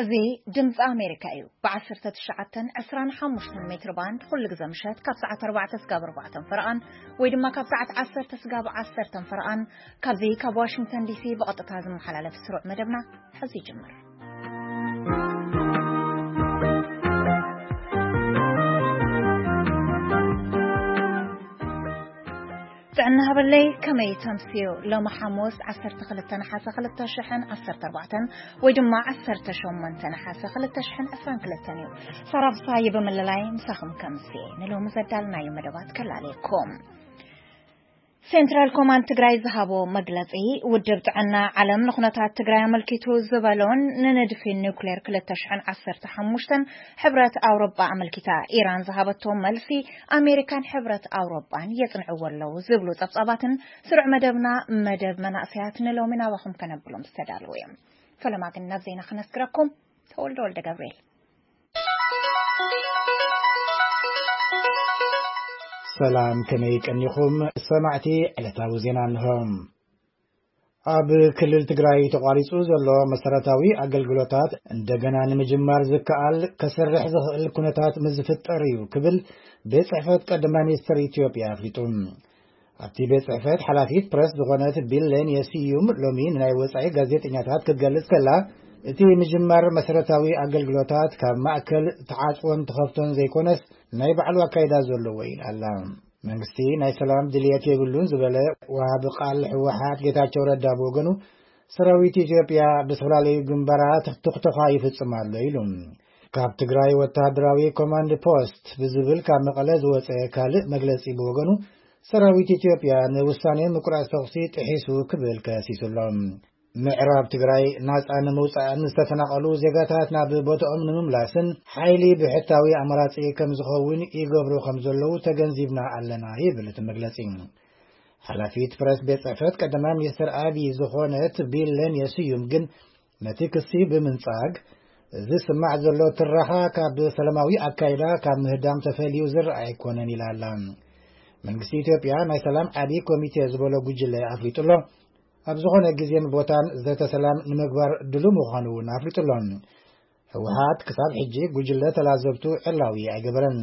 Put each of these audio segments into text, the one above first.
እዚ ድምፂ ኣሜሪካ እዩ። ብ19፣ 25 ሜትር ባንድ ኩሉ ግዜ ምሸት ካብ ሰዓት 4 ስጋብ 4 ፈረቓን ወይ ድማ ካብ ሰዓት 10 ስጋብ 10 ፈረቓን ካብዚ ካብ ዋሽንግተን ዲሲ ብቐጥታ ዝመሓላለፍ ስሩዕ መደብና ሕዚ ይጅምር። ጥዕና ሃበለይ፣ ከመይ ተምስዮ? ሎሚ ሓሙስ 12 ነሓሰ 2014 ወይ ድማ 18 ነሓሰ 2022 እዩ። ሳራ ፍስሃየ ብምልላይ ምሳኹም ከምሲ ንሎሚ ዘዳልናዮ መደባት ከላለየኩም። ሴንትራል ኮማንድ ትግራይ ዝሃቦ መግለጺ፣ ውድብ ጥዕና ዓለም ንኹነታት ትግራይ ኣመልኪቱ ዝበሎን ንንድፊ ኒውክሌር 2015 ሕብረት ኣውሮጳ ኣመልኪታ ኢራን ዝሃበቶ መልሲ ኣሜሪካን ሕብረት ኣውሮጳን የጽንዕዎ ኣለዉ ዝብሉ ጸብጻባትን ስሩዕ መደብና፣ መደብ መናእሰያት ንሎሚ ናባኹም ከነብሎም ዝተዳለዉ እዮም። ፈለማ ግን ናብ ዜና ክነስግረኩም። ተወልደ ወልደ ገብርኤል። ሰላም፣ ከመይ ቀኒኹም ሰማዕቲ? ዕለታዊ ዜና እንሆ። ኣብ ክልል ትግራይ ተቋሪጹ ዘሎ መሰረታዊ ኣገልግሎታት እንደገና ንምጅማር ዝከኣል ከሰርሕ ዝኽእል ኩነታት ምስ ዝፍጠር እዩ ክብል ቤት ጽሕፈት ቀዳማይ ሚኒስትር ኢትዮጵያ ኣፍሊጡ። ኣብቲ ቤት ጽሕፈት ሓላፊት ፕረስ ዝኾነት ቢሌን የስዩም ሎሚ ንናይ ወጻኢ ጋዜጠኛታት ክትገልጽ ከላ፣ እቲ ምጅማር መሰረታዊ ኣገልግሎታት ካብ ማእከል ተዓጽዎን ተኸፍቶን ዘይኮነስ ናይ ባዕሉ ኣካይዳ ዘለዎ እዩ ኣላ። መንግስቲ ናይ ሰላም ድልየት የብሉን ዝበለ ወሃቢ ቃል ህወሓት ጌታቸው ረዳ ብወገኑ፣ ሰራዊት ኢትዮጵያ ብዝተፈላለዩ ግንባራት ትኽተኻ ይፍጽም ኣሎ ኢሉ። ካብ ትግራይ ወታደራዊ ኮማንድ ፖስት ብዝብል ካብ መቐለ ዝወጸ ካልእ መግለጺ ብወገኑ፣ ሰራዊት ኢትዮጵያ ንውሳኔ ምቁራጽ ተኹሲ ጥሒሱ ክብል ከሲሱ ኣሎ። ምዕራብ ትግራይ ናጻ ንምውጻእን ዝተፈናቐሉ ዜጋታት ናብ ቦታኦም ንምምላስን ሓይሊ ብሕታዊ ኣማራጺ ከም ዝኸውን ይገብሩ ከም ዘለዉ ተገንዚብና ኣለና ይብል እቲ መግለጺ። ሓላፊት ፕረስ ቤት ጽሕፈት ቀዳማይ ሚኒስትር ኣብይ ዝኾነት ቢሌን የስዩም ግን ነቲ ክሲ ብምንጻግ፣ እዚ ዝስማዕ ዘሎ ትራኻ ካብ ሰላማዊ ኣካይዳ ካብ ምህዳም ተፈልዩ ዝረኣ ኣይኮነን ኢላ ኣላ። መንግስቲ ኢትዮጵያ ናይ ሰላም ዓቢ ኮሚቴ ዝበሎ ጉጅለ ኣፍሊጡ ኣሎ። ኣብ ዝኾነ ግዜን ቦታን ዘተ ሰላም ንምግባር ድሉ ምዃኑ እውን ኣፍሊጡ ኣሎ። ህወሓት ክሳብ ሕጂ ጉጅለ ተላዘብቱ ዕላዊ ኣይገበረን።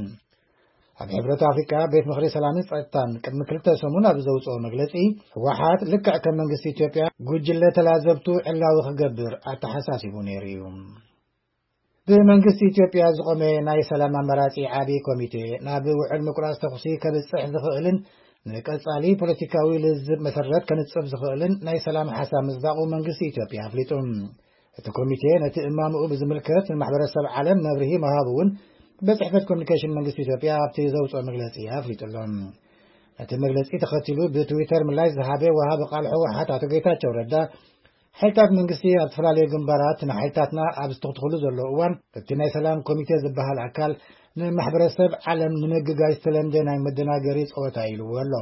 ኣብ ሕብረት ኣፍሪቃ ቤት ምኽሪ ሰላምን ጸጥታን ቅድሚ ክልተ ሰሙን ኣብ ዘውጽኦ መግለጺ፣ ህወሓት ልክዕ ከም መንግስቲ ኢትዮጵያ ጉጅለ ተላዘብቱ ዕላዊ ክገብር ኣተሓሳሲቡ ነይሩ እዩ። ብመንግስቲ ኢትዮጵያ ዝቖመ ናይ ሰላም ኣማራጺ ዓቢ ኮሚቴ ናብ ውዕል ምቁራጽ ተኹሲ ከብጽሕ ዝኽእልን ንቀጻሊ ፖለቲካዊ ልዝብ መሰረት ከንጽፍ ዝኽእልን ናይ ሰላም ሓሳብ ምጽዳቑ መንግስቲ ኢትዮጵያ ኣፍሊጡ። እቲ ኮሚቴ ነቲ እማምኡ ብዝምልከት ንማሕበረሰብ ዓለም መብርሂ ምሃቡ እውን ቤት ጽሕፈት ኮሚኒኬሽን መንግስቲ ኢትዮጵያ ኣብቲ ዘውጽኦ መግለጺ ኣፍሊጡ ኣሎ። ነቲ መግለጺ ተኸቲሉ ብትዊተር ምላሽ ዝሃበ ወሃቢ ቃል ህወሓት ኣቶ ጌታቸው ረዳ፣ ሓይልታት መንግስቲ ኣብ ዝተፈላለዩ ግንባራት ንሓይልታትና ኣብ ዝተኽትኽሉ ዘለዉ እዋን፣ እቲ ናይ ሰላም ኮሚቴ ዝበሃል ኣካል ንማሕበረሰብ ዓለም ንምግጋይ ዝተለምደ ናይ መደናገሪ ጸወታ ኢልዎ ኣሎ።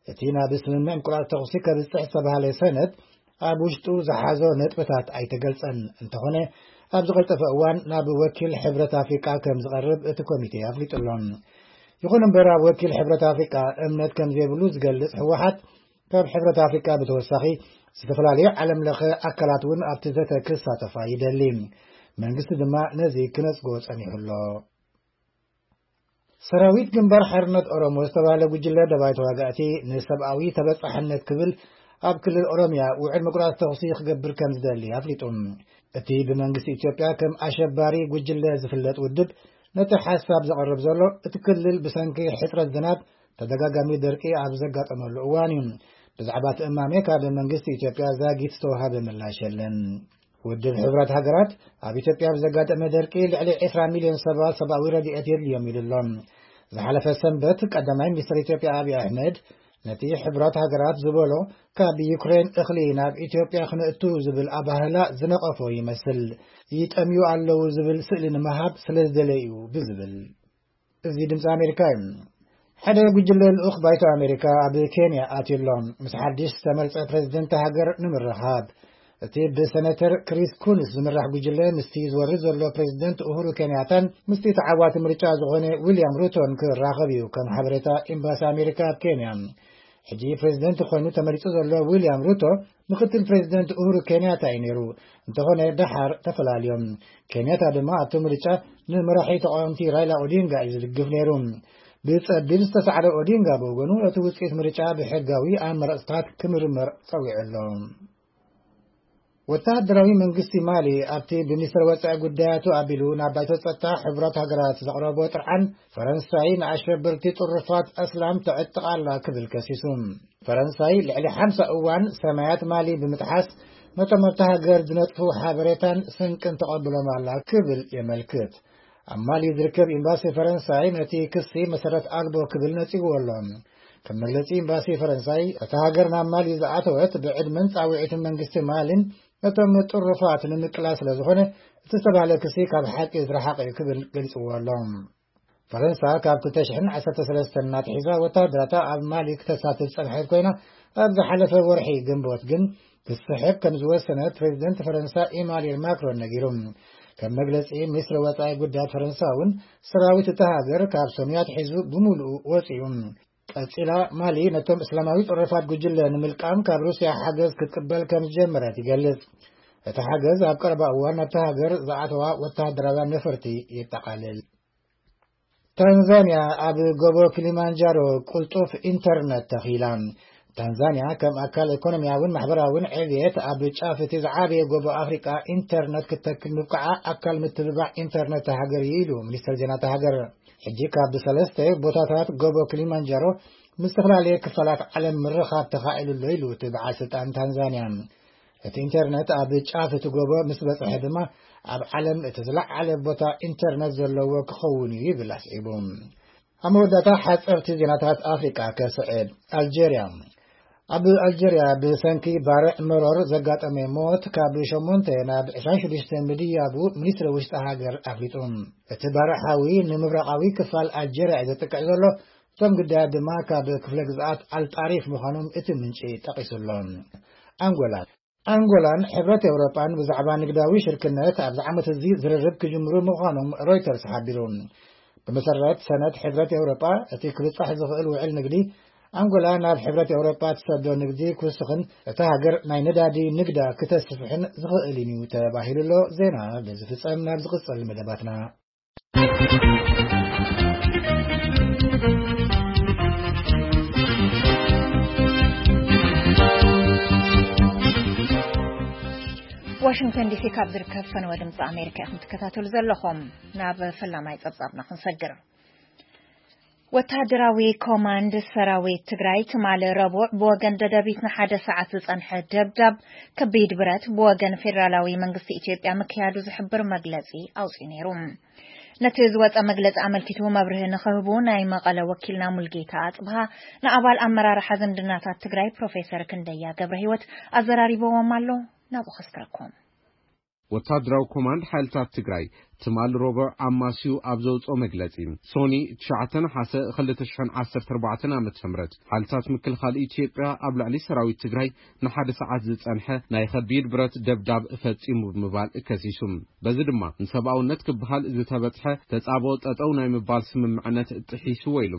እቲ ናብ ስምምዕ ምቁራጽ ተኹሲ ከብጽሕ ዝተባህለ ሰነድ ኣብ ውሽጡ ዝሓዞ ነጥብታት ኣይተገልጸን። እንተኾነ፣ ኣብ ዝቐልጠፈ እዋን ናብ ወኪል ሕብረት ኣፍሪቃ ከም ዝቐርብ እቲ ኮሚቴ ኣፍሊጡ ኣሎ። ይኹን እምበር፣ ኣብ ወኪል ሕብረት ኣፍሪቃ እምነት ከም ዘይብሉ ዝገልጽ ህወሓት፣ ካብ ሕብረት ኣፍሪቃ ብተወሳኺ ዝተፈላለዩ ዓለም ለኸ ኣካላት እውን ኣብቲ ዘተ ክሳተፋ ይደሊ። መንግስቲ ድማ ነዚ ክነጽጎ ጸኒሑ ኣሎ። ሰራዊት ግንባር ሓርነት ኦሮሞ ዝተባህለ ጉጅለ ደባይ ተዋጋእቲ ንሰብኣዊ ተበጻሕነት ክብል ኣብ ክልል ኦሮምያ ውዕል ምቁራጽ ተኹሲ ክገብር ከም ዝደሊ ኣፍሊጡ። እቲ ብመንግስቲ ኢትዮጵያ ከም ኣሸባሪ ጉጅለ ዝፍለጥ ውድብ ነቲ ሓሳብ ዘቕርብ ዘሎ፣ እቲ ክልል ብሰንኪ ሕጽረት ዝናብ ተደጋጋሚ ደርቂ ኣብ ዘጋጠመሉ እዋን እዩ። ብዛዕባ እቲ እማመ ካብ መንግስቲ ኢትዮጵያ ዛጊት ዝተዋሃበ ምላሽ የለን። ውድብ ሕብራት ሃገራት ኣብ ኢትዮጵያ ብዘጋጠመ ደርቂ ልዕሊ 20 ሚልዮን ሰባት ሰብኣዊ ረድኤት የድልዮም ኢሉ ኣሎ። ዝሓለፈ ሰንበት ቀዳማይ ሚኒስትር ኢትዮጵያ ኣብይ ኣሕመድ ነቲ ሕብራት ሃገራት ዝበሎ ካብ ዩክሬን እኽሊ ናብ ኢትዮጵያ ክነእቱ ዝብል ኣባህላ ዝነቐፎ ይመስል። ይጠምዩ ኣለዉ ዝብል ስእሊ ንምሃብ ስለ ዝደለዩ እዩ ብዝብል። እዚ ድምፂ ኣሜሪካ እዩ። ሓደ ጉጅለ ልኡኽ ባይቶ ኣሜሪካ ኣብ ኬንያ ኣትዩ ኣሎ። ምስ ሓድሽ ዝተመርጸ ፕሬዝደንት ሃገር ንምርኻብ፣ እቲ ብሰነተር ክሪስ ኩንስ ዝምራሕ ጉጅለ ምስቲ ዝወርድ ዘሎ ፕሬዝደንት ኡሁሩ ኬንያታን ምስቲ ተዓዋቲ ምርጫ ዝኾነ ዊልያም ሩቶን ክራኸብ እዩ፣ ከም ሓበሬታ ኤምባሲ ኣሜሪካ ኣብ ኬንያ። ሕጂ ፕሬዝደንት ኮይኑ ተመሪጹ ዘሎ ዊልያም ሩቶ ምክትል ፕሬዚደንት ኡሁሩ ኬንያታ እዩ ነይሩ። እንተኾነ ደሓር ተፈላልዮም። ኬንያታ ድማ ኣብቲ ምርጫ ንመራሒ ተቃወምቲ ራይላ ኦዲንጋ እዩ ዝድግፍ ነይሩ። ብጸቢብ ዝተሳዕረ ኦዲንጋ ብወገኑ እቲ ውጽኢት ምርጫ ብሕጋዊ ኣመራጽታት ክምርመር ጸዊዑ ኣሎ። ወተሃደራዊ መንግስቲ ማሊ ኣብቲ ብሚኒስትር ወጻኢ ጉዳያቱ ኣቢሉ ናብ ባይቶ ጸጥታ ሕቡራት ሃገራት ዘቕረቦ ጥርዓን፣ ፈረንሳይ ንኣሸበርቲ ጥሩፋት ኣስላም ተዕጥቕ ኣላ ክብል ከሲሱ። ፈረንሳይ ልዕሊ ሓምሳ እዋን ሰማያት ማሊ ብምጥሓስ ነቶም ኣብታ ሃገር ዝነጥፉ ሓበሬታን ስንቅን ተቐብሎም ኣላ ክብል የመልክት። ኣብ ማሊ ዝርከብ ኤምባሲ ፈረንሳይ ነቲ ክሲ መሰረት ኣልቦ ክብል ነጺግዎ ኣሎ። ከም መግለጺ ኤምባሲ ፈረንሳይ፣ እታ ሃገር ናብ ማሊ ዝኣተወት ብዕድመን ጻውዒትን መንግስቲ ማሊን ነቶም ጥሩፋት ንምቅላስ ስለ ዝኾነ፣ እቲ ዝተባህለ ክሲ ካብ ሓቂ ዝረሓቐ እዩ ክብል ገሊጽዎ ኣሎ። ፈረንሳ ካብ ክልተ ሽሕን ዓሰርተ ሰለስተን እናትሒዛ ወተሃደራታ ኣብ ማሊ ክተሳትፍ ጸንሐት ኮይና፣ ኣብ ዝሓለፈ ወርሒ ግንቦት ግን ክትስሕብ ከም ዝወሰነት ፕሬዚደንት ፈረንሳ ኢማኑኤል ማክሮን ነጊሩ። ከም መግለጺ ሚኒስትሪ ወጻኢ ጉዳያት ፈረንሳ እውን፣ ሰራዊት እታ ሃገር ካብ ሰኑይ ኣትሒዙ ብምሉኡ ወጺኡ። ቀጺላ ማሊ ነቶም እስላማዊ ጥሩፋት ጉጅለ ንምልቃም ካብ ሩስያ ሓገዝ ክትቅበል ከም ዝጀመረት ይገልጽ። እቲ ሓገዝ ኣብ ቀረባ እዋን ናብታ ሃገር ዝኣተዋ ወተሃደራውያን ነፈርቲ የጠቓልል። ታንዛንያ ኣብ ጎቦ ኪሊማንጃሮ ቅልጡፍ ኢንተርነት ተኺላ። ታንዛንያ ከም ኣካል ኢኮኖሚያውን ማሕበራውን ዕብየት ኣብ ጫፍ እቲ ዝዓበየ ጎቦ ኣፍሪቃ ኢንተርነት ክተክል ምብቃዓ ኣካል ምትብባዕ ኢንተርነት ሃገር እዩ ኢሉ ሚኒስትር ዜና እታ ሃገር። ሕጂ ካብ ሰለስተ ቦታታት ጎቦ ኪሊማንጃሮ ምስ ዝተፈላለየ ክፋላት ዓለም ምርኻብ ተኻኢሉ ኣሎ ኢሉ እቲ በዓል ስልጣን ታንዛንያ። እቲ ኢንተርነት ኣብ ጫፍ እቲ ጎቦ ምስ በጽሐ ድማ ኣብ ዓለም እቲ ዝለዓለ ቦታ ኢንተርነት ዘለዎ ክኸውን እዩ ይብል ኣስዒቡ። ኣብ መወዳእታ ሓጸርቲ ዜናታት ኣፍሪቃ ከስዕብ። ኣልጀርያ። ኣብ ኣልጀርያ ብሰንኪ ባርዕ መሮር ዘጋጠመ ሞት ካብ ሸሞንተ ናብ ዕስራን ሽዱሽተ ምድያቡ ሚኒስትሪ ውሽጢ ሃገር ኣፍሊጡ። እቲ ባርዕ ሓዊ ንምብራቓዊ ክፋል ኣልጀርያ እዩ ዘጥቅዕ ዘሎ። እቶም ግዳያት ድማ ካብ ክፍለ ግዝኣት ኣልጣሪፍ ምዃኖም እቲ ምንጪ ጠቒሱ ኣሎ። ኣንጎላ። ኣንጎላን ሕብረት ኤውሮጳን ብዛዕባ ንግዳዊ ሽርክነት ኣብዚ ዓመት እዚ ዝርርብ ክጅምሩ ምዃኖም ሮይተርስ ሓቢሩ። ብመሰረት ሰነድ ሕብረት ኤውሮጳ፣ እቲ ክብጻሕ ዝኽእል ውዕል ንግዲ፣ ኣንጎላ ናብ ሕብረት ኤውሮጳ ትሰዶ ንግዲ ክውስኽን እታ ሃገር ናይ ነዳዲ ንግዳ ክተስፍሕን ዝኽእል እዩ ተባሂሉ ኣሎ። ዜና በዚ ፍጸም። ናብ ዝቕጽል መደባትና። ዋሽንግተን ዲሲ ካብ ዝርከብ ፈነወ ድምፂ ኣሜሪካ ኢኹም ትከታተሉ ዘለኹም። ናብ ፈላማይ ጸብጻብና ክንሰግር። ወታደራዊ ኮማንድ ሰራዊት ትግራይ ትማሊ ረቡዕ ብወገን ደደቢት ንሓደ ሰዓት ዝጸንሐ ደብዳብ ከቢድ ብረት ብወገን ፌደራላዊ መንግስቲ ኢትዮጵያ ምክያዱ ዝሕብር መግለጺ ኣውጺኡ ነይሩ። ነቲ ዝወጸ መግለጺ ኣመልኪቱ መብርሂ ንኽህቡ ናይ መቐለ ወኪልና ሙልጌታ ኣጽብሃ ንኣባል ኣመራርሓ ዝምድናታት ትግራይ ፕሮፌሰር ክንደያ ገብረ ህይወት ኣዘራሪብዎም ኣሎ። ናብኡ ከስክረኩም። ወታደራዊ ኮማንድ ሓይልታት ትግራይ ትማል ረቡዕ ኣማስዩ ኣብ ዘውፅኦ መግለፂ፣ ሶኒ ትሽዓተ ነሓሰ ክልተ ሽሕን ዓሰርተ ኣርባዕተን ዓመተ ምህረት ሓይልታት ምክልኻል ኢትዮጵያ ኣብ ልዕሊ ሰራዊት ትግራይ ንሓደ ሰዓት ዝፀንሐ ናይ ከቢድ ብረት ደብዳብ ፈፂሙ ብምባል ከሲሱ። በዚ ድማ ንሰብኣውነት ክበሃል ዝተበፅሐ ተፃብኦ ጠጠው ናይ ምባል ስምምዕነት ጥሒስዎ ኢሉ።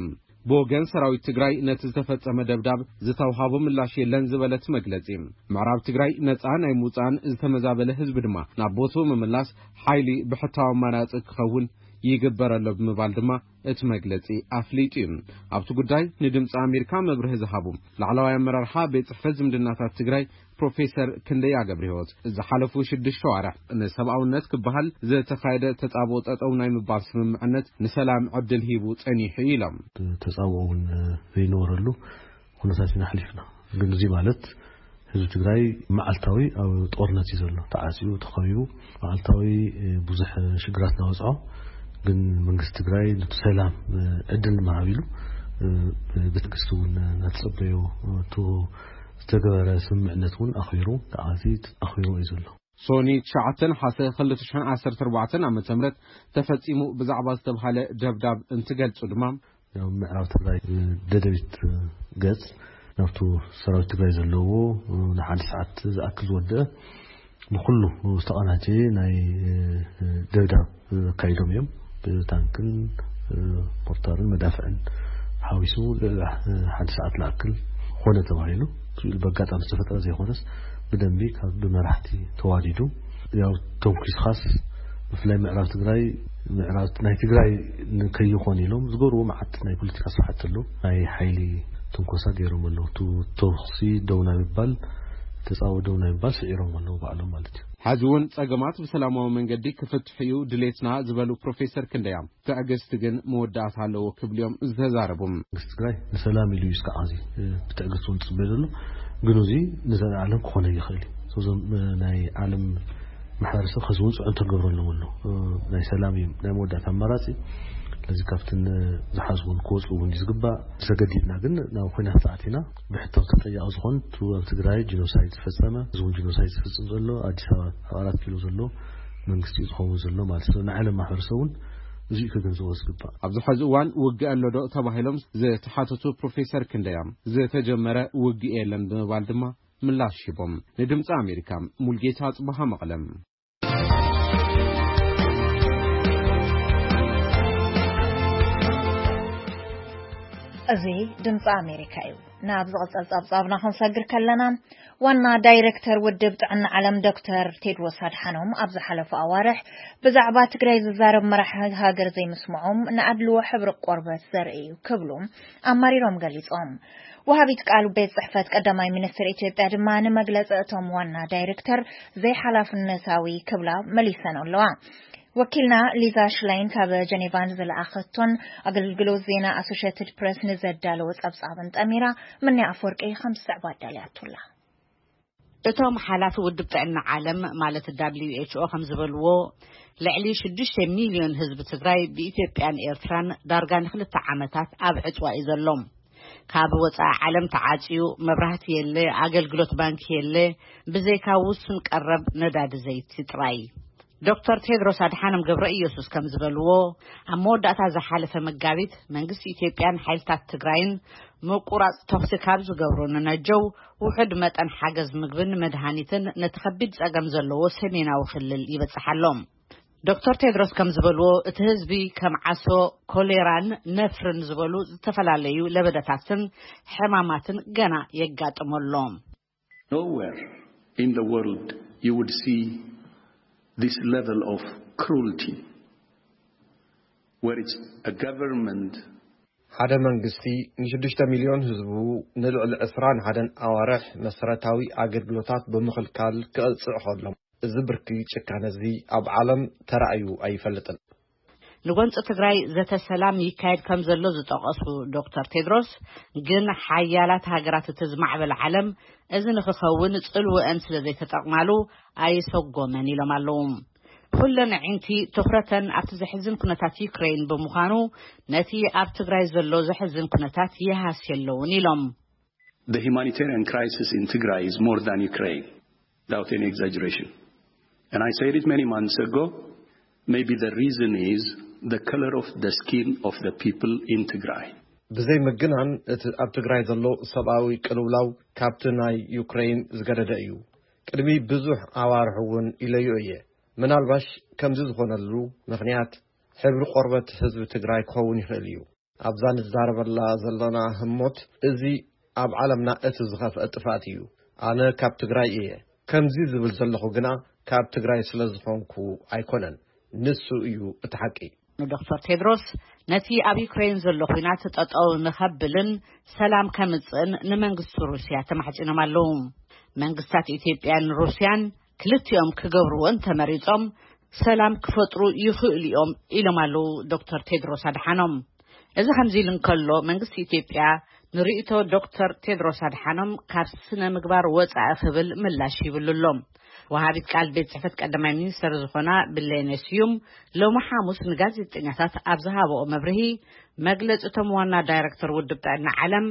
ብወገን ሰራዊት ትግራይ ነቲ ዝተፈጸመ ደብዳብ ዝተውሃቦ ምላሽ የለን ዝበለ እቲ መግለጺ፣ ምዕራብ ትግራይ ነጻ ናይ ምውጻእን ዝተመዛበለ ህዝቢ ድማ ናብ ቦትኡ ምምላስ ሓይሊ ብሕታዊ ኣማራጺ ክኸውን ይግበር ኣሎ ብምባል ድማ እቲ መግለጺ ኣፍሊጡ እዩ። ኣብቲ ጉዳይ ንድምፂ ኣሜሪካ መብርሂ ዝሃቡ ላዕለዋይ ኣመራርሓ ቤት ጽሕፈት ዝምድናታት ትግራይ ፕሮፌሰር ክንደያ ገብረህይወት፣ ዝሓለፉ ሽዱሽተ ኣዋርሕ ንሰብኣውነት ክበሃል ዝተኻየደ ተጻብኦ ጠጠው ናይ ምባል ስምምዕነት ንሰላም ዕድል ሂቡ ጸኒሑ ኢሎም። ተጻብኦ እውን ዘይነበረሉ ኩነታት ኢና ኣሕሊፍና። ግን እዚ ማለት ህዝቢ ትግራይ መዓልታዊ ኣብ ጦርነት እዩ ዘሎ። ተዓጽዩ፣ ተኸቢቡ፣ መዓልታዊ ብዙሕ ሽግራት እናበፅሖ፣ ግን መንግስቲ ትግራይ ነቲ ሰላም ዕድል ንምሃብ ኢሉ ብትዕግስቲ እውን እናተጸበዮ፣ እቲ ዝተገበረ ስምምዕነት እውን ኣኽቢሩ፣ ተዓዚ ኣኽቢሩ እዩ ዘሎ። ሶኒ ትሽዓተ ነሓሰ ክልተ ሽሕን ዓሰርተ ኣርባዕተን ዓመተ ምህረት ተፈጺሙ ብዛዕባ ዝተባህለ ደብዳብ እንትገልጹ ድማ፣ ኣብ ምዕራብ ትግራይ ደደቢት ገጽ ናብቱ ሰራዊት ትግራይ ዘለዎ ንሓደ ሰዓት ዝኣክል ዝወደአ ብኩሉ ዝተቐናጀየ ናይ ደብዳብ ኣካይዶም እዮም። ብታንክን ሞርታርን መዳፍዕን ሓዊሱ ልዕሊ ሓደ ሰዓት ዝኣክል ኮነ ተባሂሉ። ስኢሉ በጋጣሚ ዝተፈጠረ ዘይኮነስ ብደንቢ ካብ ብመራሕቲ ተዋዲዱ፣ ያው ተንኪስኻስ ብፍላይ ምዕራብ ትግራይ፣ ምዕራብ ናይ ትግራይ ንከይኾን ኢሎም ዝገብርዎ መዓት ናይ ፖለቲካ ስራሕቲ ኣሎ። ናይ ሓይሊ ትንኮሳ ገይሮም ኣለዉ። እቲ ተኹሲ ደው ናይ ምባል፣ ተጻወ ደው ናይ ምባል ስዒሮም ኣለዉ ባዕሎም ማለት እዩ። ሕዚ እውን ጸገማት ብሰላማዊ መንገዲ ክፍትሑ እዩ ድሌትና ዝበሉ ፕሮፌሰር ክንደያ፣ ትዕግስቲ ግን መወዳእታ ኣለዎ ክብሉ እዮም ዝተዛረቡ። መንግስቲ ትግራይ ንሰላም ኢሉ እዩ እስካዕ እዚ ብትዕግስቲ እውን ዝፅበ ዘሎ። ግን እዚ ንዘለኣለም ክኾነ ይኽእል እዩ። እዞም ናይ ዓለም ማሕበረሰብ ከዚ እውን ፅዕንቶ ክገብረሎም ኣሎ። ናይ ሰላም እዩ ናይ መወዳእታ ኣማራፂ። ስለዚ ካብትን ዝሓዝውን ክወፁ እውን እዩ ዝግባእ። ተገዲድና ግን ናብ ኩናት ተኣቲና ብሕቶ ተጠያቂ ዝኾን እቲ ኣብ ትግራይ ጂኖሳይድ ዝፈፀመ፣ እዚ እውን ጂኖሳይድ ዝፍፅም ዘሎ ኣዲስ ኣበባ ኣብ ኣራት ኪሎ ዘሎ መንግስቲ እዩ ዝኸውን ዘሎ ማለት እዩ። ንዓለም ማሕበረሰብ እውን እዚ እዩ ክግንዘቦ ዝግባእ። ኣብዚ ሕዚ እዋን ውግእ ኣሎ ዶ ተባሂሎም ዝተሓተቱ ፕሮፌሰር ክንደያ፣ ዝተጀመረ ውግእ የለን ብምባል ድማ ምላሽ ሂቦም። ንድምፂ ኣሜሪካ ሙልጌታ ጽባሃ መቐለም። እዚ ድምፂ ኣሜሪካ እዩ። ናብ ዝቕጽል ጸብጻብና ክንሰግር ከለና፣ ዋና ዳይሬክተር ውድብ ጥዕና ዓለም ዶክተር ቴድሮስ ኣድሓኖም ኣብ ዝሓለፈ ኣዋርሕ ብዛዕባ ትግራይ ዝዛረብ መራሒ ሃገር ዘይምስምዖም ንኣድልዎ ሕብሪ ቆርበት ዘርኢ እዩ ክብሉ ኣማሪሮም ገሊጾም። ወሃቢት ቃል ቤት ጽሕፈት ቀዳማይ ሚኒስትር ኢትዮጵያ ድማ ንመግለጺ እቶም ዋና ዳይሬክተር ዘይሓላፍነታዊ ክብላ መሊሰን ኣለዋ። ወኪልና ሊዛ ሽላይን ካብ ጀኔቫ ንዝለኣኸቶን ኣገልግሎት ዜና ኣሶሼትድ ፕሬስ ንዘዳለወ ጸብጻብን ጠሚራ፣ ምንያ ኣፈወርቂ ከም ዝስዕብ ኣዳልያቱላ። እቶም ሓላፊ ውድብ ጥዕና ዓለም ማለት ደብሊው ኤች ኦ ከም ዝበልዎ፣ ልዕሊ ሽዱሽተ ሚልዮን ህዝቢ ትግራይ ብኢትዮጵያን ኤርትራን ዳርጋ ንክልተ ዓመታት ኣብ ዕጽዋ እዩ ዘሎ። ካብ ወጻኢ ዓለም ተዓጽዩ፣ መብራህቲ የለ፣ ኣገልግሎት ባንኪ የለ፣ ብዘይካ ውሱን ቀረብ ነዳዲ ዘይቲ ጥራይ። ዶክተር ቴድሮስ ኣድሓኖም ገብረ ኢየሱስ ከም ዝበልዎ፣ ኣብ መወዳእታ ዝሓለፈ መጋቢት መንግስቲ ኢትዮጵያን ሓይልታት ትግራይን ምቁራጽ ተኹሲ ካብ ዝገብሩ ንነጀው ውሑድ መጠን ሓገዝ ምግብን መድሃኒትን ነቲ ከቢድ ጸገም ዘለዎ ሰሜናዊ ክልል ይበጽሕ ኣሎ። ዶክተር ቴድሮስ ከም ዝበልዎ፣ እቲ ህዝቢ ከም ዓሶ፣ ኮሌራን ነፍርን ዝበሉ ዝተፈላለዩ ለበዳታትን ሕማማትን ገና የጋጥሞ ኣሎ። Nowhere in the world you would see this level of cruelty, where it's a government ሓደ መንግስቲ ንሽዱሽተ ሚልዮን ህዝቡ ንልዕሊ ዕስራን ሓደን ኣዋርሕ መሰረታዊ ኣገልግሎታት ብምኽልካል ክቕጽዕ ከሎ፣ እዚ ብርኪ ጭካነ እዚ ኣብ ዓለም ተራእዩ ኣይፈልጥን። ንጎንፂ ትግራይ ዘተ ሰላም ይካየድ ከም ዘሎ ዝጠቐሱ ዶክተር ቴድሮስ፣ ግን ሓያላት ሃገራት እቲ ዝማዕበለ ዓለም እዚ ንክኸውን ጽልወአን ስለ ዘይተጠቕማሉ ኣይሰጎመን ኢሎም ኣለዉ። ኩለን ኣዒንቲ ትኹረተን ኣብቲ ዘሕዝን ኩነታት ዩክሬን ብምዃኑ፣ ነቲ ኣብ ትግራይ ዘሎ ዘሕዝን ኩነታት ይሃስዮ ኣለውን ኢሎም። The humanitarian crisis in Tigray is more than Ukraine, without any exaggeration. And I said it many months ago, maybe the reason is the color of the skin of the people in Tigray. ብዘይ ምግናን፣ እቲ ኣብ ትግራይ ዘሎ ሰብኣዊ ቅልውላው ካብቲ ናይ ዩክሬን ዝገደደ እዩ። ቅድሚ ብዙሕ ኣዋርሕ እውን ኢለዮ እየ። ምናልባሽ ከምዚ ዝኾነሉ ምኽንያት ሕብሪ ቆርበት ህዝቢ ትግራይ ክኸውን ይኽእል እዩ። ኣብዛ ንዛረበላ ዘለና ህሞት፣ እዚ ኣብ ዓለምና እቲ ዝኸፍአ ጥፍኣት እዩ። ኣነ ካብ ትግራይ እየ። ከምዚ ዝብል ዘለኹ ግና ካብ ትግራይ ስለ ዝኾንኩ ኣይኮነን። ንሱ እዩ እቲ ሓቂ። ንዶክተር ቴድሮስ፣ ነቲ ኣብ ዩክሬን ዘሎ ኲናት ጠጠው ንኸብልን ሰላም ከምጽእን ንመንግስቲ ሩስያ ተማሕጺኖም ኣለዉ። መንግስታት ኢትዮጵያን ሩስያን ክልቲኦም ክገብርዎ እንተመሪጾም ሰላም ክፈጥሩ ይኽእሉ እዮም ኢሎም ኣለዉ ዶክተር ቴድሮስ ኣድሓኖም። እዚ ከምዚ ኢሉ እንከሎ፣ መንግስቲ ኢትዮጵያ ንርእይቶ ዶክተር ቴድሮስ ኣድሓኖም ካብ ስነ ምግባር ወጻኢ ክብል ምላሽ ይብሉ ኣሎ። ወሃቢት ቃል ቤት ጽሕፈት ቀዳማይ ሚኒስተር ዝኾና ብሌነ ስዩም ሎሚ ሓሙስ ንጋዜጠኛታት ኣብ ዝሃበኦ መብርሂ፣ መግለጺ እቶም ዋና ዳይረክተር ውድብ ጥዕና ዓለም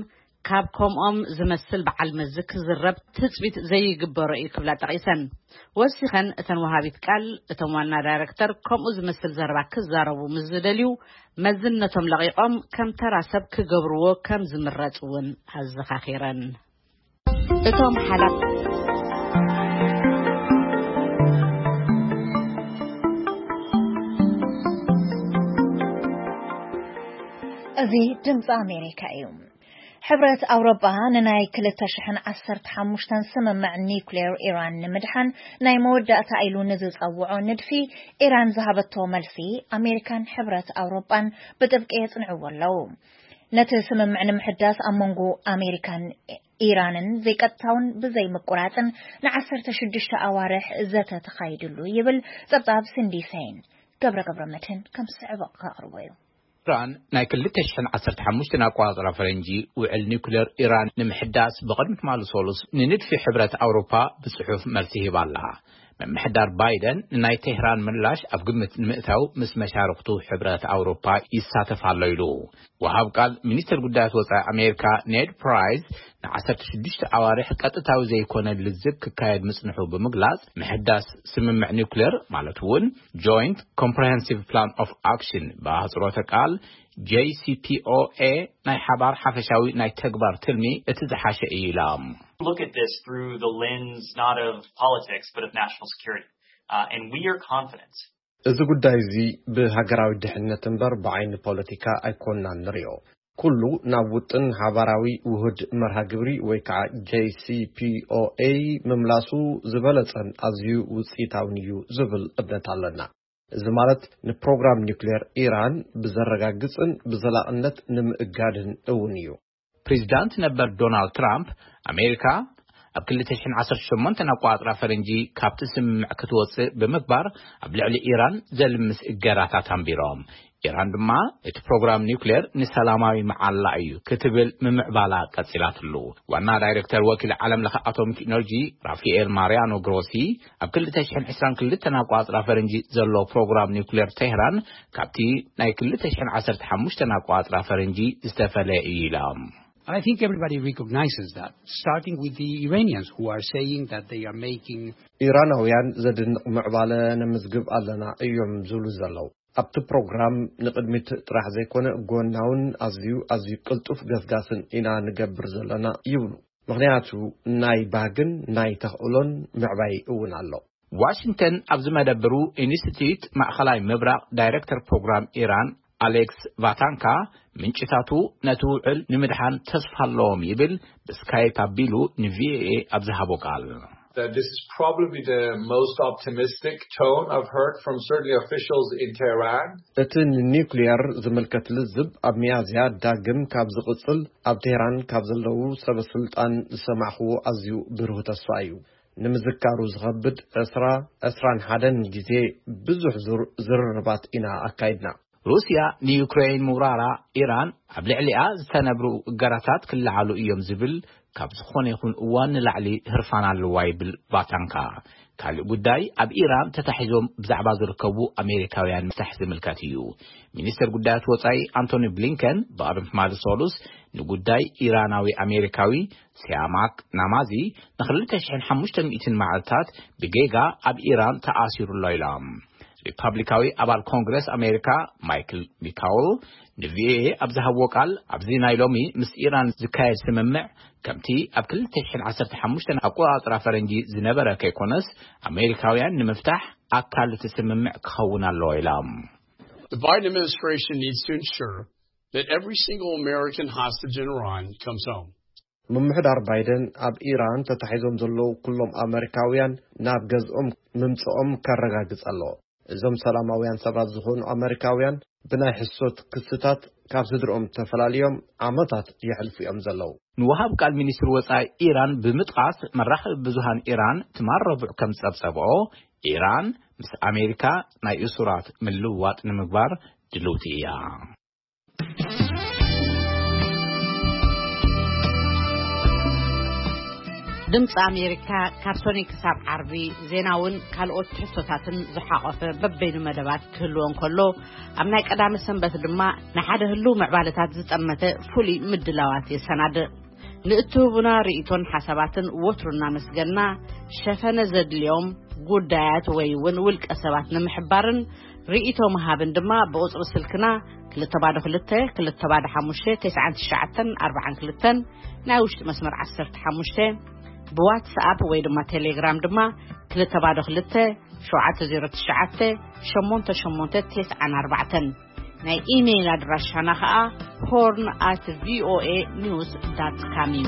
ካብ ከምኦም ዝመስል በዓል መዚ ክዝረብ ትጽቢት ዘይግበሮ እዩ ክብላ ጠቒሰን። ወሲኸን እተን ወሃቢት ቃል፣ እቶም ዋና ዳይረክተር ከምኡ ዝመስል ዘረባ ክዛረቡ ምስ ዝደልዩ፣ መዝነቶም ለቒቖም ከም ተራ ሰብ ክገብርዎ ከም ዝምረጽ እውን ኣዘኻኺረን። እቶም ሓላፍ እዚ ድምፂ ኣሜሪካ እዩ። ሕብረት ኣውሮጳ ንናይ ክልተ ሽሕን ዓሰርተ ሓሙሽተን ስምምዕ ኒውክሌር ኢራን ንምድሓን ናይ መወዳእታ ኢሉ ንዝጸውዖ ንድፊ ኢራን ዝሃበቶ መልሲ፣ ኣሜሪካን ሕብረት ኣውሮጳን ብጥብቂ የጽንዕዎ ኣለዉ። ነቲ ስምምዕ ንምሕዳስ ኣብ መንጎ ኣሜሪካን ኢራንን ዘይቀጥታውን ብዘይ ምቁራጽን ንዓሰርተ ሽዱሽተ ኣዋርሕ ዘተ ተኻይድሉ ይብል ጸብጻብ ሲንዲ ሴይን። ገብረ ገብረ መድህን ከም ዝስዕቦ ከቕርቦ እዩ። ኢራን ናይ ክልተ ሽሕን ዓሰርተ ሓሙሽተን ኣቆጻጽራ ፈረንጂ ውዕል ኒውክሌር ኢራን ንምሕዳስ ብቕድሚ ትማሊ ሰሉስ ንንድፊ ሕብረት ኣውሮፓ ብጽሑፍ መልሲ ሂባ ኣላ። ምምሕዳር ባይደን ንናይ ቴህራን ምላሽ ኣብ ግምት ንምእታው ምስ መሻርክቱ ሕብረት ኣውሮፓ ይሳተፍ ኣሎ ኢሉ። ወሃብ ቃል ሚኒስትር ጉዳያት ወጻኢ ኣሜሪካ ኔድ ፕራይስ ንዓሰርተ ሽዱሽተ ኣዋርሕ ቀጥታዊ ዘይኮነ ልዝብ ክካየድ ምጽንሑ ብምግላጽ፣ ምሕዳስ ስምምዕ ኒውክሌር ማለት እውን ጆይንት ኮምፕሬሄንሲቭ ፕላን ኦፍ ኣክሽን ብኣህጽሮተ ቃል ጄሲፒኦኤ ናይ ሓባር ሓፈሻዊ ናይ ተግባር ትልሚ እቲ ዝሓሸ እዩ ኢላ። Look at this through the lens not of politics but of national security. Uh, and we are confident እዚ ጉዳይ እዚ ብሃገራዊ ድሕነት እምበር ብዓይኒ ፖለቲካ ኣይኮንናን ንሪኦ። ኩሉ ናብ ውጥን ሓባራዊ ውሁድ መርሃ ግብሪ ወይ ከዓ ጄሲፒኦኤ ምምላሱ ዝበለጸን ኣዝዩ ውፅኢታውን እዩ ዝብል እምነት ኣለና። እዚ ማለት ንፕሮግራም ኒውክሌር ኢራን ብዘረጋግጽን ብዘላቕነት ንምእጋድን እውን እዩ። ፕሬዚዳንት ነበር ዶናልድ ትራምፕ፣ ኣሜሪካ ኣብ ክልተ ሽሕን ዓሰርተ ሸሞንተን ኣቆጻጽራ ፈረንጂ ካብቲ ስምምዕ ክትወጽእ ብምግባር፣ ኣብ ልዕሊ ኢራን ዘልምስ እገዳታት ኣንቢሮም። ኢራን ድማ እቲ ፕሮግራም ኒውክሌር ንሰላማዊ መዓላ እዩ ክትብል ምምዕባላ ቀጺላትሉ። ዋና ዳይሬክተር ወኪል ዓለም ለኸ ኣቶሚክ ኢነርጂ ራፋኤል ማሪያኖ ግሮሲ፣ ኣብ ክልተ ሽሕን ዕስራን ክልተን ኣቆጻጽራ ፈረንጂ ዘሎ ፕሮግራም ኒውክሌር ቴህራን ካብቲ ናይ ክልተ ሽሕን ዓሰርተ ሓሙሽተን ኣቆጻጽራ ፈረንጂ ዝተፈለየ እዩ ኢሎም። I think everybody recognizes that, starting with the Iranians who are saying that they are making ኢራናውያን ዘድንቕ ምዕባለ ነምዝግብ ኣለና እዮም ዝብሉ ዘለዉ። ኣብቲ ፕሮግራም ንቕድሚት ጥራሕ ዘይኮነ ጎናውን ኣዝዩ ኣዝዩ ቅልጡፍ ገስጋስን ኢና ንገብር ዘለና ይብሉ። ምኽንያቱ ናይ ባህግን ናይ ተኽእሎን ምዕባይ እውን ኣሎ። ዋሽንግተን ኣብ ዝመደብሩ ኢንስቲትዩት ማእኸላይ ምብራቕ ዳይሬክተር ፕሮግራም ኢራን ኣሌክስ ቫታንካ፣ ምንጭታቱ ነቲ ውዕል ንምድሓን ተስፋ ኣለዎም ይብል ብስካይፕ ኣቢሉ ንቪኦኤ ኣብ ዝሃቦ ቃል። That this is probably the most optimistic tone I've heard from certainly officials in Tehran. እቲ ንኒውክሊየር ዝምልከት ልዝብ ኣብ ሚያዝያ ዳግም ካብ ዝቕጽል ኣብ ቴህራን ካብ ዘለዉ ሰበ ስልጣን ዝሰማዕኽዎ ኣዝዩ ብሩህ ተስፋ እዩ። ንምዝካሩ ዝኸብድ ዕስራ ዕስራን ሓደን ግዜ ብዙሕ ዙር ዝርርባት ኢና ኣካይድና። ሩስያ ንዩክሬን ምውራራ፣ ኢራን ኣብ ልዕሊኣ ዝተነብሩ እገዳታት ክለዓሉ እዮም ዝብል ካብ ዝኾነ ይኹን እዋን ንላዕሊ ህርፋን ኣለዋ ይብል ቫታንካ። ካልእ ጉዳይ ኣብ ኢራን ተታሒዞም ብዛዕባ ዝርከቡ ኣሜሪካውያን ምፍታሕ ዝምልከት እዩ። ሚኒስትር ጉዳያት ወጻኢ ኣንቶኒ ብሊንከን ብቐደም ትማሊ ሰሉስ ንጉዳይ ኢራናዊ ኣሜሪካዊ ሲያማክ ናማዚ ንክልተ ሽሕን ሓሙሽተ ሚእትን መዓልታት ብጌጋ ኣብ ኢራን ተኣሲሩ ኣሎ ኢሎም። ሪፓብሊካዊ ኣባል ኮንግረስ ኣሜሪካ ማይክል ሚካውል ንቪኦኤ ኣብ ዝሃብዎ ቃል፣ ኣብዚ ናይ ሎሚ ምስ ኢራን ዝካየድ ስምምዕ ከምቲ ኣብ ክልተ ሽሕን ዓሰርተ ሓሙሽተን ኣቆጻጽራ ፈረንጂ ዝነበረ ከይኮነስ፣ ኣሜሪካውያን ንምፍታሕ ኣካል እቲ ስምምዕ ክኸውን ኣለዎ ኢሎም። The Biden administration needs to ensure that every single American hostage in Iran comes home. ምምሕዳር ባይደን ኣብ ኢራን ተታሒዞም ዘለዉ ኩሎም ኣመሪካውያን ናብ ገዝኦም ምምጽኦም ከረጋግጽ ኣለዎ። እዞም ሰላማውያን ሰባት ዝኾኑ ኣመሪካውያን ብናይ ሕሶት ክስታት ካብ ስድርኦም ተፈላልዮም ዓመታት የሕልፉ እዮም ዘለዉ። ንወሃብ ቃል ሚኒስትሪ ወጻኢ ኢራን ብምጥቃስ፣ መራኸቢ ብዙሃን ኢራን ትማል ረቡዕ ከም ዝጸብጸብኦ፣ ኢራን ምስ ኣሜሪካ ናይ እሱራት ምልውዋጥ ንምግባር ድልውቲ እያ። ድምፂ ኣሜሪካ ካብ ሶኒ ክሳብ ዓርቢ ዜናውን ካልኦት ትሕዝቶታትን ዝሓቖፈ በበይኑ መደባት ክህልዎ እንከሎ፣ ኣብ ናይ ቀዳመ ሰንበት ድማ ንሓደ ህልው ምዕባለታት ዝጠመተ ፍሉይ ምድላዋት የሰናድእ። ንእትህቡና ርእይቶን ሓሳባትን ወትሩ እናመስገና፣ ሸፈነ ዘድልዮም ጉዳያት ወይ እውን ውልቀ ሰባት ንምሕባርን ርእይቶ ምሃብን ድማ ብቁጽሪ ስልክና ክልተ ባዶ ክልተ፣ ክልተ ባዶ ሓሙሽተ፣ ተስዓን ትሽዓተን ኣርባዓን ክልተን፣ ናይ ውሽጢ መስመር ዓሰርተ ሓሙሽተ፣ ብዋትስኣፕ ወይ ድማ ቴሌግራም ድማ ክልተ ባዶ ክልተ፣ ሸውዓተ ዜሮ ትሽዓተ፣ ሸሞንተ ሸሞንተ፣ ተስዓን ኣርባዕተን። ናይ ኢሜይል ኣድራሻና ኸኣ ሆርን ኣት ቪኦኤ ኒውስ ዳት ካም እዩ።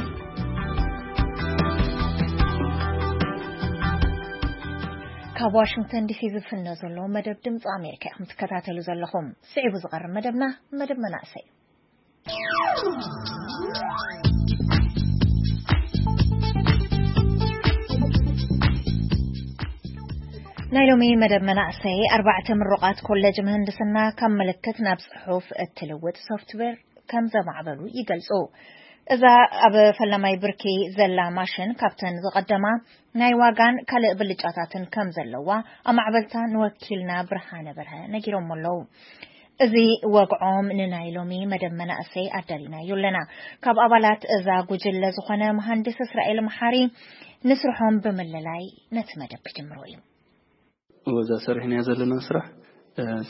ካብ ዋሽንግተን ዲሲ ዝፍነ ዘሎ መደብ ድምፂ ኣሜሪካ ኢኹም ትከታተሉ ዘለኹም። ስዒቡ ዝቐርብ መደብና መደብ መናእሰይ። ናይ ሎሚ መደብ መናእሰይ ኣርባዕተ ምሩቓት ኮሌጅ ምህንድስና ካብ ምልክት ናብ ጽሑፍ እትልውጥ ሶፍትዌር ከም ዘማዕበሉ ይገልጹ። እዛ ኣብ ፈላማይ ብርኪ ዘላ ማሽን ካብተን ዝቐደማ ናይ ዋጋን ካልእ ብልጫታትን ከም ዘለዋ ኣማዕበልታ ንወኪልና ብርሃነ በርሀ ነጊሮም ኣለዉ። እዚ ወግዖም ንናይ ሎሚ መደብ መናእሰይ ኣዳሊናዮ ኣለና። ካብ ኣባላት እዛ ጉጅለ ዝኾነ መሃንድስ እስራኤል መሓሪ ንስርሖም ብምልላይ ነቲ መደብ ክጅምሮ እዩ። ወዛ ሰሪሕናያ ዘለና ስራሕ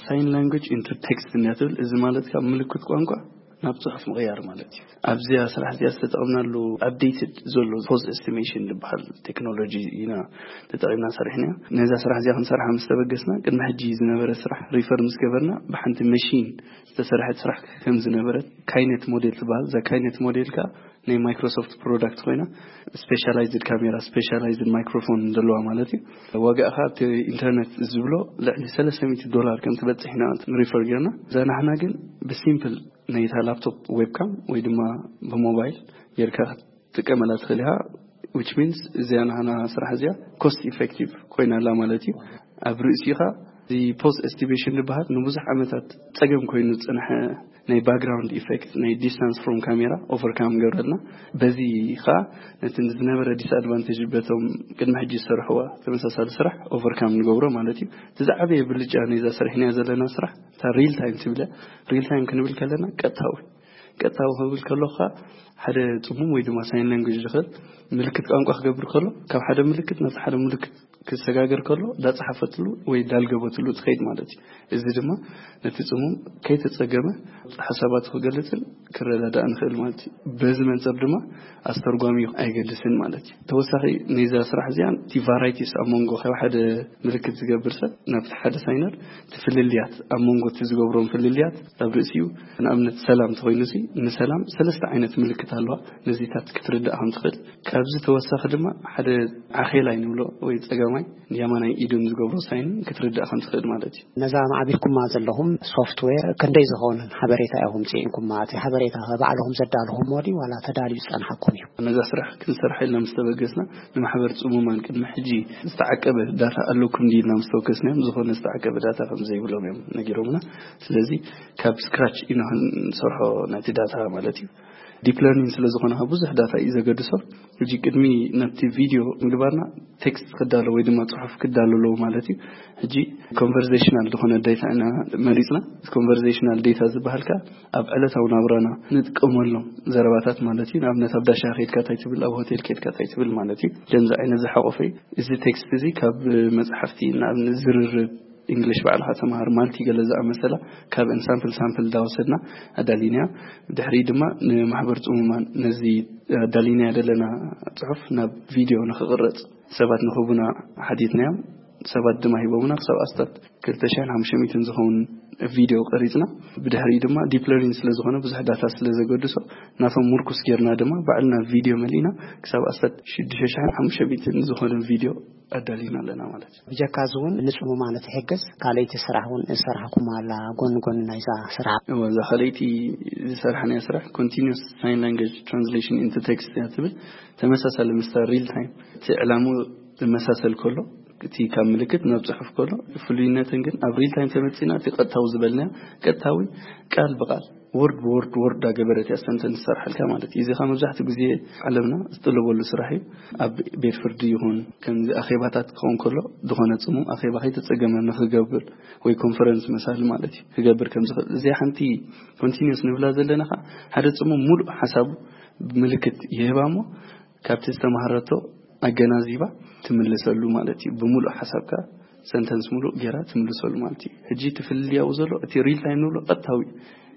ሳይን ላንጉጅ ኢንቱ ቴክስት እንያ ትብል። እዚ ማለት ካብ ምልክት ቋንቋ ናብ ጽሑፍ ምቕያር ማለት እዩ። ኣብዚያ ስራሕ እዚኣ ዝተጠቕምናሉ ኣፕዴትድ ዘሎ ፖዝ ኤስቲሜሽን ዝበሃል ቴክኖሎጂ ኢና ተጠቒምና ሰሪሕናያ። ነዛ ስራሕ እዚኣ ክንሰርሓ ምስ ተበገስና ቅድሚ ሕጂ ዝነበረ ስራሕ ሪፈር ምስ ገበርና ብሓንቲ መሽን ዝተሰርሐት ስራሕ ከም ዝነበረት ካይኔት ሞዴል ትበሃል። እዛ ካይኔት ሞዴል ከኣ ናይ ማይክሮሶፍት ፕሮዳክት ኮይና ስፔሻላይዝድ ካሜራ ስፔሻላይዝድ ማይክሮፎን ዘለዋ ማለት እዩ። ዋጋኣ ከኣ ኣብቲ ኢንተርኔት ዝብሎ ልዕሊ ሰለስተ ሚእቲ ዶላር ከም ትበጽሕ ኢና ሪፈር ጌርና። እዛ ናሕና ግን ብሲምፕል ነይታ ላፕቶፕ ዌብካም ወይ ድማ ብሞባይል ጌርካ ክትጥቀመላ ትኽእል ኢኻ። Which means እዚኣ ናህና ስራሕ እዚኣ ኮስት ኢፌክቲቭ ኮይና ኣላ ማለት እዩ። ኣብ ርእሲኻ እዚ ፖዝ ኤስቲሜሽን ዝበሃል ንብዙሕ ዓመታት ጸገም ኮይኑ ዝጸንሐ ናይ ባክግራውንድ ኢፌክት ናይ ዲስታንስ ፍሮም ካሜራ ኦቨርካም ገብረልና። በዚ ኸኣ ነቲ ዝነበረ ዲስኣድቫንቴጅ በቶም ቅድሚ ሕጂ ዝሰርሕዋ ተመሳሳሊ ስራሕ ኦቨርካም ንገብሮ ማለት እዩ። እቲ ዝዓበየ ብልጫ ነዛ ሰሪሕናያ ዘለና ስራሕ እታ ሪል ታይም ትብለ። ሪል ታይም ክንብል ከለና ቀጥታዊ ቀጥታዊ ክብል ከሎ ኸኣ ሓደ ጽሙም ወይ ድማ ሳይን ላንጉጅ ዝኽእል ምልክት ቋንቋ ክገብር ከሎ ካብ ሓደ ምልክት ናብ ሓደ ምልክት ክሰጋገር ከሎ ዳጸሓፈትሉ ወይ ዳልገበትሉ ትኸይድ ማለት እዩ። እዚ ድማ ነቲ ጽሙም ከይተጸገመ ሓሳባቱ ክገልጽን ክረዳዳእ ንኽእል ማለት እዩ። በዚ መንጸር ድማ ኣስተርጓሚ ኣይገድስን ማለት እዩ። ተወሳኺ ነዛ ስራሕ እዚኣ እቲ ቫራይቲስ ኣብ መንጎ ካብ ሓደ ምልክት ዝገብር ሰብ ናብቲ ሓደ ሳይነር እቲ ፍልልያት ኣብ መንጎ እቲ ዝገብሮም ፍልልያት ኣብ ርእሲኡ ንኣብነት ሰላም ተኾይኑ ሲ ንሰላም ሰለስተ ዓይነት ምልክት ኣለዋ። ነዚታት ክትርዳእ ከም ትኽእል ካብዚ ተወሳኺ ድማ ሓደ ዓኼላይ ንብሎ ወይ ጸጋማይ የማናይ ኢዱን ዝገብሮ ሳይን ክትርዳእ ከም ትኽእል ማለት እዩ። ነዛ ማዕቢልኩማ ዘለኹም ሶፍትዌር ክንደይ ዝኸውን ሓበሬታ ኢኹም ጽዒንኩማ? እቲ ሓበሬታ ባዕልኹም ዘዳልኹምዎ ድዩ ዋላ ተዳልዩ ዝጸንሓኩም እዩ? ነዛ ስራሕ ክንሰርሓ ኢልና ምስ ተበገስና ንማሕበር ጽሙማን ቅድሚ ሕጂ ዝተዓቀበ ዳታ ኣለኩም ድዩ ኢልና ምስ ተወከስናዮም ዝኾነ ዝተዓቀበ ዳታ ከም ዘይብሎም እዮም ነጊሮምና። ስለዚ ካብ ስክራች ኢና ክንሰርሖ ነቲ ዳታ ማለት እዩ። ዲፕ ለርኒንግ ስለ ዝኾነ ብዙሕ ዳታ እዩ ዘገድሶ። ሕጂ ቅድሚ ናብቲ ቪድዮ ምግባርና ቴክስት ክዳሎ ወይ ድማ ጽሑፍ ክዳሎ ኣለዎ ማለት እዩ። ሕጂ ኮንቨርሴሽናል ዝኾነ ዴታ ኢና መሪጽና። ኮንቨርሴሽናል ዴታ ዝበሃል ከኣ ኣብ ዕለታዊ ናብራና ንጥቀመሎም ዘረባታት ማለት እዩ። ንኣብነት ኣብ ዳሻ ኬድካ እንታይ ትብል፣ ኣብ ሆቴል ኬድካ እንታይ ትብል ማለት እዩ። ከምዚ ዓይነት ዝሓቆፈ እዩ። እዚ ቴክስት እዚ ካብ መጽሓፍቲ ንኣብነት ዝርርብ እንግሊሽ ባዕልኻ ተምሃር ማልቲ ገለ ዝኣመሰላ ካብ ሳምፕል ሳምፕል እንዳወሰድና ኣዳሊናያ። ድሕሪ ድማ ንማሕበር ጽሙማን ነዚ ኣዳሊናያ ዘለና ጽሑፍ ናብ ቪድዮ ንኽቕረጽ ሰባት ንኽቡና ሓቲትናዮም። ሰባት ድማ ሂቦምና ክሳብ ኣስታት ክልተ ሽሕን ሓሙሽተ ሚእትን ዝኸውን ቪድዮ ቀሪጽና። ብድሕሪኡ ድማ ዲፕ ለርኒንግ ስለ ዝኾነ ብዙሕ ዳታ ስለ ዘገድሶ ናቶም ምርኩስ ጌርና ድማ ባዕልና ቪድዮ መሊእና ክሳብ ኣስታት ሽዱሽተ ሽሕን ሓሙሽተ ሚእትን ዝኾነ ቪድዮ ኣዳሊና ኣለና ማለት እዩ። ብጀካ እዚ እውን ንጽሙማን ትሕግዝ ካልኣይቲ ስራሕ እውን ዝሰርሓኩም ኣላ ጎኒ ጎኒ ናይዛ ስራሕ? እወ፣ እዛ ካልኣይቲ ዝሰርሓናያ ስራሕ ኮንቲኒስ ሳይን ላንጉጅ ትራንስሌሽን ኢንቱ ቴክስት እያ ትብል። ተመሳሳሊ ምስታ ሪል ታይም እቲ ዕላሙ ዝመሳሰል ከሎ እቲ ካብ ምልክት ናብ ጽሑፍ ከሎ ፍሉይነትን ግን ኣብ ሪል ታይም ተመጺና እቲ ቀጥታዊ ዝበልናዮ ቀጥታዊ ቃል ብቃል ወርድ ብወርድ ወርድ ዳገበረት እያ ሰንተንስ ትሰርሓልካ ማለት እዩ። እዚ ኸዓ መብዛሕትኡ ግዜ ዓለምና ዝጥለበሉ ስራሕ እዩ። ኣብ ቤት ፍርዲ ይኹን ከምዚ ኣኼባታት ክኸውን ከሎ ዝኾነ ጽሙም ኣኼባ ከይተጸገመ ንኽገብር ወይ ኮንፈረንስ መሳሊ ማለት እዩ ክገብር ከም ዝኽእል እዚኣ ሓንቲ ኮንቲኒስ ንብላ ዘለና ኸዓ ሓደ ጽሙም ሙሉእ ሓሳቡ ምልክት ይህባ እሞ ካብቲ ዝተማሃረቶ ኣገናዚባ ትምልሰሉ ማለት እዩ። ብምሉእ ሓሳብካ ሰንተንስ ሙሉእ ጌራ ትምልሰሉ ማለት እዩ። ሕጂ እቲ ፍልልያኡ ዘሎ እቲ ሪል ታይም ንብሎ ቀጥታዊ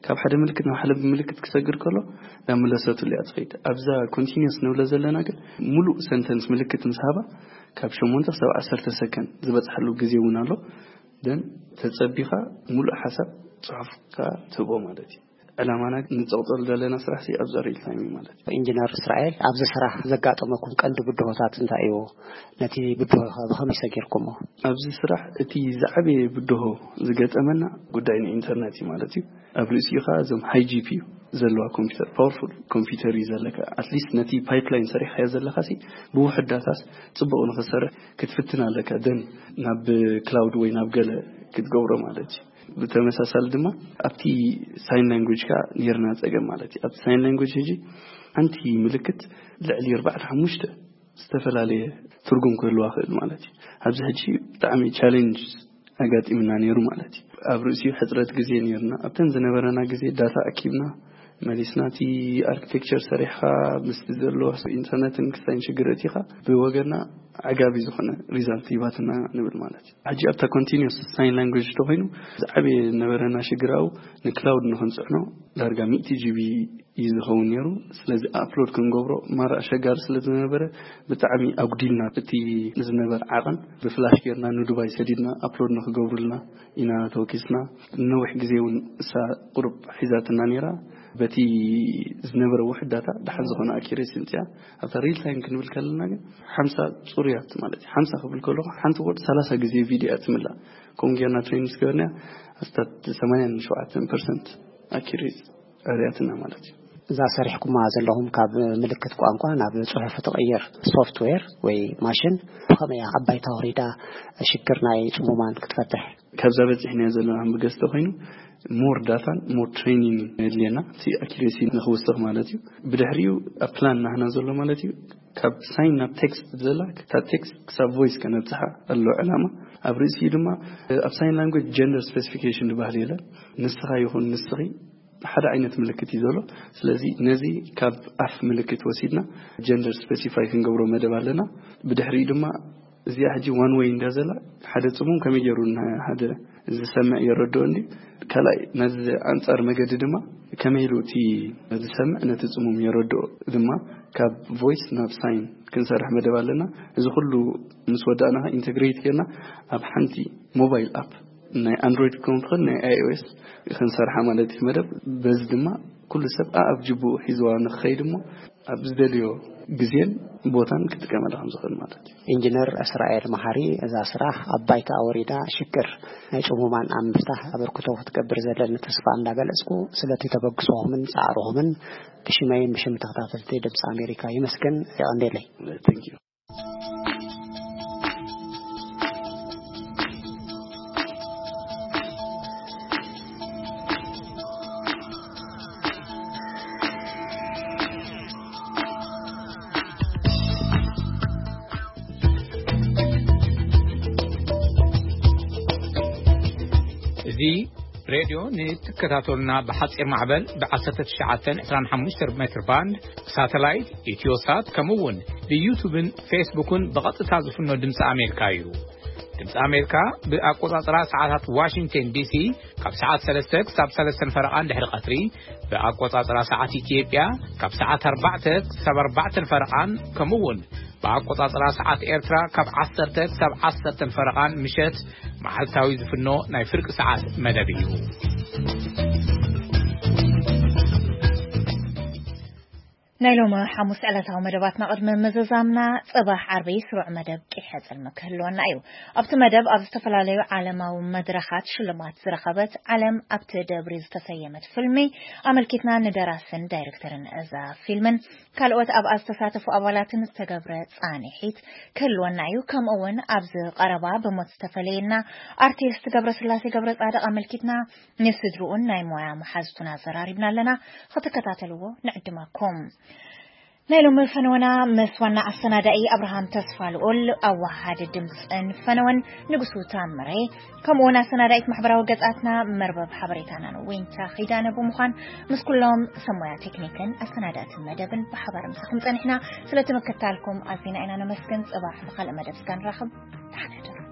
ካብ ሓደ ምልክት ናብ ሓደ ምልክት ክሰግር ከሎ ናብ መለሰትሉ እያ ትኸይድ። ኣብዛ ኮንቲኒስ ንብሎ ዘለና ግን ሙሉእ ሰንተንስ ምልክት ምስ ሃባ ካብ ሸሞንተ ክሳብ ዓሰርተ ሰከንድ ዝበፅሓሉ ግዜ እውን ኣሎ። ደን ተፀቢኻ ሙሉእ ሓሳብ ጽሑፍካ ትህቦ ማለት እዩ። ዕላማና ንጸቕጠሉ ዘለና ስራሕ ሲ ኣብዛ ሪል ታይም እዩ ማለት እዩ። ኢንጂነር እስራኤል፣ ኣብዚ ስራሕ ዘጋጠመኩም ቀንዲ ብድሆታት እንታይ እዩ? ነቲ ብድሆ ከ ብኸመይ ሰጊርኩሞ? ኣብዚ ስራሕ እቲ ዝዓበየ ብድሆ ዝገጠመና ጉዳይ ንኢንተርነት እዩ ማለት እዩ። ኣብ ርእሲኡ ኸዓ እዞም ሃይ ጂ ፒ ዩ ዘለዋ ኮምፒውተር፣ ፓወርፉል ኮምፒውተር እዩ ዘለካ። ኣትሊስት ነቲ ፓይፕላይን ሰሪሕካዮ ዘለካ ሲ ብውሑድ ዳታስ ጽቡቕ ንኽሰርሕ ክትፍትን ኣለካ። ደን ናብ ክላውድ ወይ ናብ ገለ ክትገብሮ ማለት እዩ። ብተመሳሳሊ ድማ ኣብቲ ሳይን ላንጉጅ ካ ነርና ጸገም ማለት እዩ። ኣብቲ ሳይን ላንጉጅ ሕጂ ሓንቲ ምልክት ልዕሊ ኣርባዕተ ሓሙሽተ ዝተፈላለየ ትርጉም ክህልዋ ክእል ማለት እዩ። ኣብዚ ሕጂ ብጣዕሚ ቻሌንጅ ኣጋጢምና ነይሩ ማለት እዩ። ኣብ ርእሲኡ ሕፅረት ግዜ ነይርና። ኣብተን ዝነበረና ግዜ ዳታ ኣኪብና መሊስና፣ እቲ ኣርኪቴክቸር ሰሪሕኻ ምስቲ ዘሎ ኢንተርነትን ክስታይን ሽግር እቲኻ ብወገና ዓጋቢ ዝኾነ ሪዛልት ሂባትና ንብል ማለት እዩ። ሕጂ ኣብታ ኮንቲኒስ ሳይን ላንጉጅ ተኮይኑ ዝዓበየ ዝነበረና ሽግር ኣብኡ ንክላውድ ንክንፅዕኖ ዳርጋ ሚእቲ ጂቢ እዩ ዝኸውን ነይሩ። ስለዚ ኣፕሎድ ክንገብሮ ማራ ኣሸጋሪ ስለ ዝነበረ ብጣዕሚ ኣጉዲልና እቲ ዝነበር ዓቐን ብፍላሽ ጌርና ንዱባይ ሰዲድና ኣፕሎድ ንክገብሩልና ኢና ተወኪስና። ነዊሕ ግዜ እውን እሳ ቁሩብ ሒዛትና ነይራ። በቲ ዝነበረ ውሕዳታ ደሓን ዝኾነ ኣኪሬሲ ምፅያ ኣብታ ሪል ታይም ክንብል ከለና ግን ሓምሳ ፅሩያት ማለት እዩ። ሓምሳ ክብል ከለኹ ሓንቲ ወርድ ሰላሳ ግዜ ቪድዮ እያ ትምላእ። ከምኡ ጌርና ትሬኒንግ ገበርና ኣስታት ሰማንያን ሸውዓተን ፐርሰንት ኣኪሬሲ ኣርእያትና ማለት እዩ። እዛ ሰሪሕኩማ ዘለኹም ካብ ምልክት ቋንቋ ናብ ጽሑፍ ትቕይር ሶፍትዌር ወይ ማሽን ብኸመይ እያ ኣብ ባይታ ወሪዳ ሽግር ናይ ጽሙማን ክትፈትሕ? ካብዛ በፂሕናዮ ዘለና ብገስተ ኮይኑ ሞር ዳታን ሞር ትሬኒንግ የድልየና እቲ ኣኪሬሲ ንክውስኽ ማለት እዩ። ብድሕሪኡ ኣብ ፕላን ናህና ዘሎ ማለት እዩ ካብ ሳይን ናብ ቴክስት ዘላ ካብ ቴክስት ክሳብ ቮይስ ከነብፅሓ ኣሎ ዕላማ። ኣብ ርእሲኡ ድማ ኣብ ሳይን ላንጉጅ ጀንደር ስፔሲፊኬሽን ዝበሃል የለን። ንስኻ ይኹን ንስኺ ሓደ ዓይነት ምልክት እዩ ዘሎ። ስለዚ ነዚ ካብ ኣፍ ምልክት ወሲድና ጀንደር ስፔሲፋይ ክንገብሮ መደብ ኣለና። ብድሕሪኡ ድማ እዚኣ ሕጂ ዋን ወይ እንዳ ዘላ ሓደ ጽሙም ከመይ ገይሩ ንሓደ ዝሰምዕ የረድኦ እንዲ ካልኣይ ነዚ ኣንጻር መገዲ ድማ ከመይ ኢሉ እቲ ዝሰምዕ ነቲ ጽሙም የረድኦ ድማ ካብ ቮይስ ናብ ሳይን ክንሰርሕ መደብ ኣለና። እዚ ኩሉ ምስ ወዳእና ኢንተግሬት ጌርና ኣብ ሓንቲ ሞባይል ኣፕ ናይ ኣንድሮይድ ክኸውን ትኽእል ናይ ኣይኦኤስ ክንሰርሓ ማለት እዩ መደብ። በዚ ድማ ኩሉ ሰብ ኣኣብ ጅቡኡ ሒዝዋ ንክኸይድ እሞ ኣብ ዝደልዮ ግዜን ቦታን ክጥቀመላ ከም ዝኽእል ማለት እዩ። ኢንጂነር እስራኤል መሓሪ፣ እዛ ስራሕ ኣብ ባይታ ኣወሪዳ ሽግር ናይ ጽሙማን ኣብ ምፍታሕ ኣበርክቶ ክትገብር ዘለኒ ተስፋ እንዳገለጽኩ ስለቲ ተበግሶኹምን ጻዕርኹምን ብሽመይን ብሽም ተኸታተልቲ ድምፂ ኣሜሪካ ይመስገን። የቐንዴለይ። Thank you። እዚ ሬድዮ ንትከታተሉና ብሓጺር ማዕበል ብ1925 ሜትር ባንድ ብሳተላይት ኢትዮሳት ከምኡ እውን ብዩቱብን ፌስቡክን ብቐጥታ ዝፍኖ ድምፂ ኣሜሪካ እዩ። ድምፂ ኣሜሪካ ብኣቆጻጽራ ሰዓታት ዋሽንግተን ዲሲ ካብ ሰዓት ሰለስተ ክሳብ ሰለስተን ፈረቓን ድሕሪ ቀትሪ፣ ብኣቆጻጽራ ሰዓት ኢትዮጵያ ካብ ሰዓት ኣርባዕተ ክሳብ ኣርባዕተን ፈረቓን ከምኡ እውን ብኣቆጻጽራ ሰዓት ኤርትራ ካብ ዓሰርተ ክሳብ ዓሰርተን ፈረቓን ምሸት መዓልታዊ ዝፍኖ ናይ ፍርቂ ሰዓት መደብ እዩ። ናይ ሎሚ ሓሙስ ዕለታዊ መደባትና ቅድሚ ምዝዛምና፣ ጽባሕ ዓርቢ ስሩዕ መደብ ቂሐ ጽልሚ ክህልወና እዩ። ኣብቲ መደብ ኣብ ዝተፈላለዩ ዓለማዊ መድረኻት ሽልማት ዝረኸበት ዓለም ኣብቲ ደብሪ ዝተሰየመት ፊልሚ ኣመልኪትና ንደራስን ዳይሬክተርን እዛ ፊልምን ካልኦት ኣብኣ ዝተሳተፉ ኣባላትን ዝተገብረ ጻንሒት ክህልወና እዩ። ከምኡ እውን ኣብዚ ቀረባ ብሞት ዝተፈለየና ኣርቲስት ገብረስላሴ ገብረጻድቕ ኣመልኪትና ንስድርኡን ናይ ሞያ መሓዝቱን ኣዘራሪብና ኣለና። ክትከታተልዎ ንዕድመኩም። ናይ ሎሚ ፈነወና ምስ ዋና ኣሰናዳኢ ኣብርሃም ተስፋ ልኡል፣ ኣዋሃዲ ድምፅን ፈነወን ንጉሱ ታምሬ፣ ከምኡ እውን ኣሰናዳኢት ማሕበራዊ ገጻትና መርበብ ሓበሬታናን ዊንታ ኺዳነ ብምዃን ምስ ኩሎም ሰብ ሞያ ቴክኒክን ኣሰናዳእቲ መደብን ብሓባር ምሳኹም ጸኒሕና። ስለቲ ምክታልኩም ኣዚና ኢና ነመስግን። ጽባሕ ብኻልእ መደብ ስጋ ንራኸብ። ደሓን ሕደሩ።